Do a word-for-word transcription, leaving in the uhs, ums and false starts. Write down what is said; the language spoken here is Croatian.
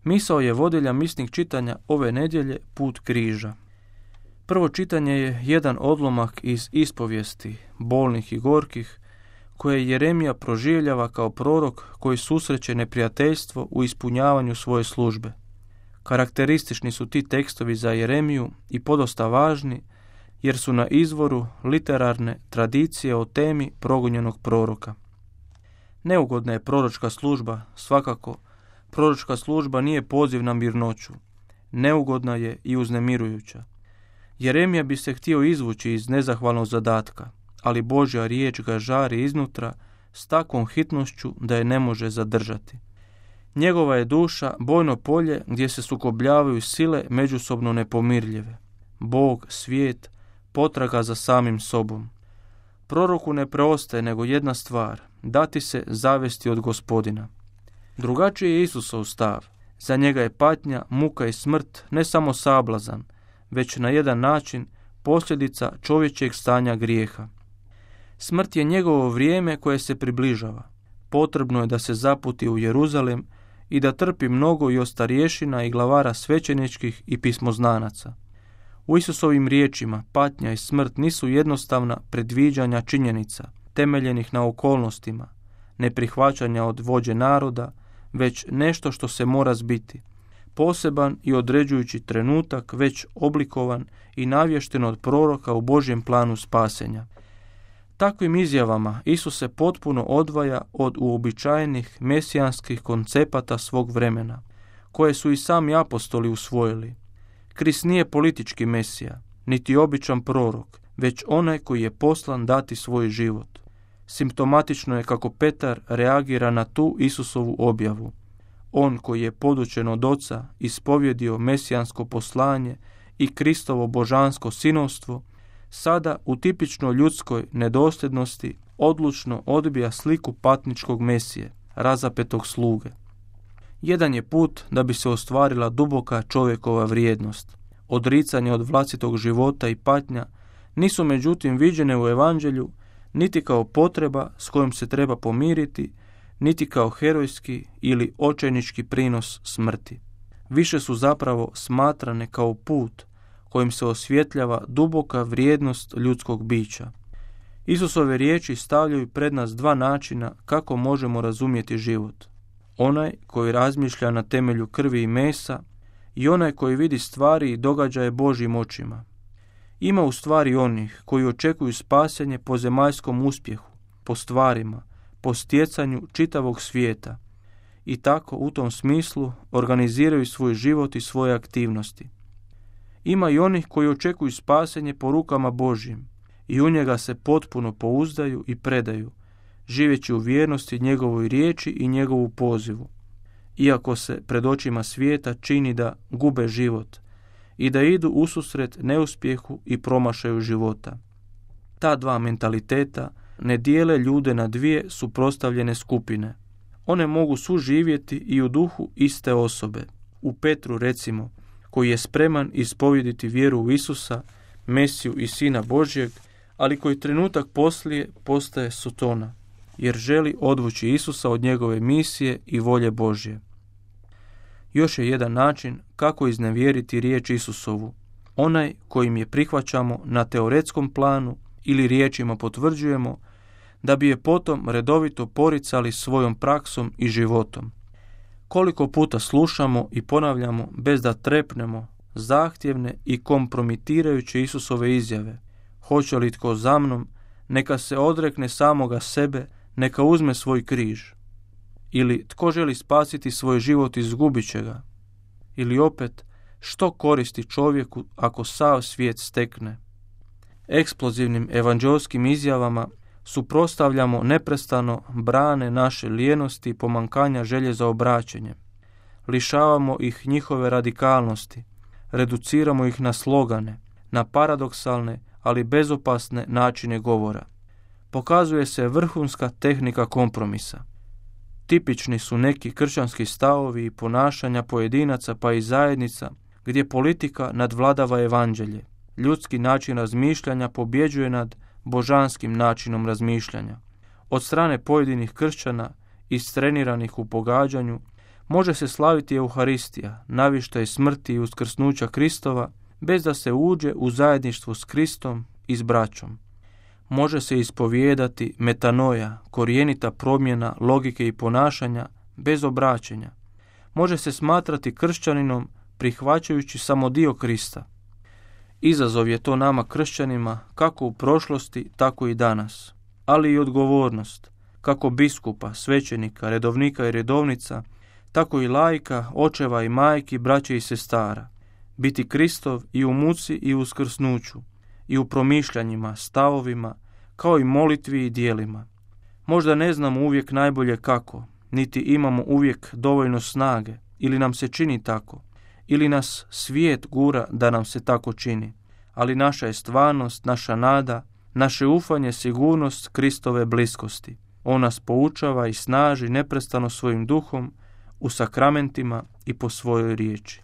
Misao je vodilja misnih čitanja ove nedjelje Put križa. Prvo čitanje je jedan odlomak iz ispovijesti, bolnih i gorkih, koje Jeremija proživljava kao prorok koji susreće neprijateljstvo u ispunjavanju svoje službe. Karakteristični su ti tekstovi za Jeremiju i podosta važni, jer su na izvoru literarne tradicije o temi progonjenog proroka. Neugodna je proročka služba, svakako. Proročka služba nije poziv na mirnoću. Neugodna je i uznemirujuća. Jeremija bi se htio izvući iz nezahvalnog zadatka, ali Božja riječ ga žari iznutra s takvom hitnošću da je ne može zadržati. Njegova je duša bojno polje gdje se sukobljavaju sile međusobno nepomirljive. Bog, svijet, potraga za samim sobom. Proroku ne preostaje nego jedna stvar, dati se zavesti od Gospodina. Drugačiji je Isusov stav. Za njega je patnja, muka i smrt ne samo sablazan, već na jedan način posljedica čovječjeg stanja grijeha. Smrt je njegovo vrijeme koje se približava. Potrebno je da se zaputi u Jeruzalem i da trpi mnogo i od starješina i glavara svećeničkih i pismoznanaca. U Isusovim riječima patnja i smrt nisu jednostavna predviđanja činjenica, temeljenih na okolnostima, neprihvaćanja od vođe naroda, već nešto što se mora zbiti. Poseban i određujući trenutak, već oblikovan i navješten od proroka u Božjem planu spasenja. Takvim izjavama Isus se potpuno odvaja od uobičajenih mesijanskih koncepata svog vremena, koje su i sami apostoli usvojili. Krist nije politički mesija, niti običan prorok, već onaj koji je poslan dati svoj život. Simptomatično je kako Petar reagira na tu Isusovu objavu. On koji je podučen od Oca ispovjedio mesijansko poslanje i Kristovo božansko sinovstvo, sada u tipično ljudskoj nedosljednosti odlučno odbija sliku patničkog mesije, razapetog sluge. Jedan je put da bi se ostvarila duboka čovjekova vrijednost. Odricanje od vlastitog života i patnja nisu međutim viđene u evanđelju niti kao potreba s kojom se treba pomiriti, niti kao herojski ili očajnički prinos smrti. Više su zapravo smatrane kao put kojim se osvjetljava duboka vrijednost ljudskog bića. Isusove riječi stavljaju pred nas dva načina kako možemo razumjeti život. Onaj koji razmišlja na temelju krvi i mesa i onaj koji vidi stvari i događaje Božjim očima. Ima u stvari onih koji očekuju spasenje po zemaljskom uspjehu, po stvarima, po stjecanju čitavog svijeta i tako u tom smislu organiziraju svoj život i svoje aktivnosti. Ima i onih koji očekuju spasenje po rukama Božjim i u njega se potpuno pouzdaju i predaju, živeći u vjernosti njegovoj riječi i njegovu pozivu, iako se pred očima svijeta čini da gube život i da idu ususret neuspjehu i promašaju života. Ta dva mentaliteta ne dijele ljude na dvije suprotstavljene skupine. One mogu suživjeti i u duhu iste osobe. U Petru recimo, koji je spreman ispovjediti vjeru u Isusa, Mesiju i Sina Božjeg, ali koji trenutak poslije postaje sotona, jer želi odvući Isusa od njegove misije i volje Božje. Još je jedan način kako iznevjeriti riječ Isusovu, onaj kojim je prihvaćamo na teoretskom planu ili riječima potvrđujemo, da bi je potom redovito poricali svojom praksom i životom. Koliko puta slušamo i ponavljamo bez da trepnemo zahtjevne i kompromitirajuće Isusove izjave. Hoće li tko za mnom, neka se odrekne samoga sebe, neka uzme svoj križ. Ili tko želi spasiti svoj život, izgubit će ga. Ili opet, što koristi čovjeku ako sav svijet stekne. Eksplozivnim evanđelskim izjavama suprotstavljamo neprestano brane naše lijenosti i pomankanja želje za obraćenjem. Lišavamo ih njihove radikalnosti, reduciramo ih na slogane, na paradoksalne, ali bezopasne načine govora. Pokazuje se vrhunska tehnika kompromisa. Tipični su neki kršćanski stavovi i ponašanja pojedinaca pa i zajednica gdje politika nadvladava evanđelje. Ljudski način razmišljanja pobjeđuje nad božanskim načinom razmišljanja. Od strane pojedinih kršćana, istreniranih u pogađanju, Može se slaviti Euharistija, navještaj smrti i uskrsnuća Kristova, bez da se uđe u zajedništvo s Kristom i s braćom. Može se ispovijedati metanoja, korijenita promjena logike i ponašanja, bez obraćenja. Može se smatrati kršćaninom prihvaćajući samo dio Krista. Izazov je to nama kršćanima kako u prošlosti, tako i danas, ali i odgovornost, kako biskupa, svećenika, redovnika i redovnica, tako i laika, očeva i majki, braće i sestara. Biti Kristov i u muci i u uskrsnuću, i u promišljanjima, stavovima, kao i molitvi i dijelima. Možda ne znamo uvijek najbolje kako, niti imamo uvijek dovoljno snage, ili nam se čini tako, ili nas svijet gura da nam se tako čini, ali naša je stvarnost, naša nada, naše ufanje, sigurnost Kristove bliskosti. On nas poučava i snaži neprestano svojim duhom, u sakramentima i po svojoj riječi.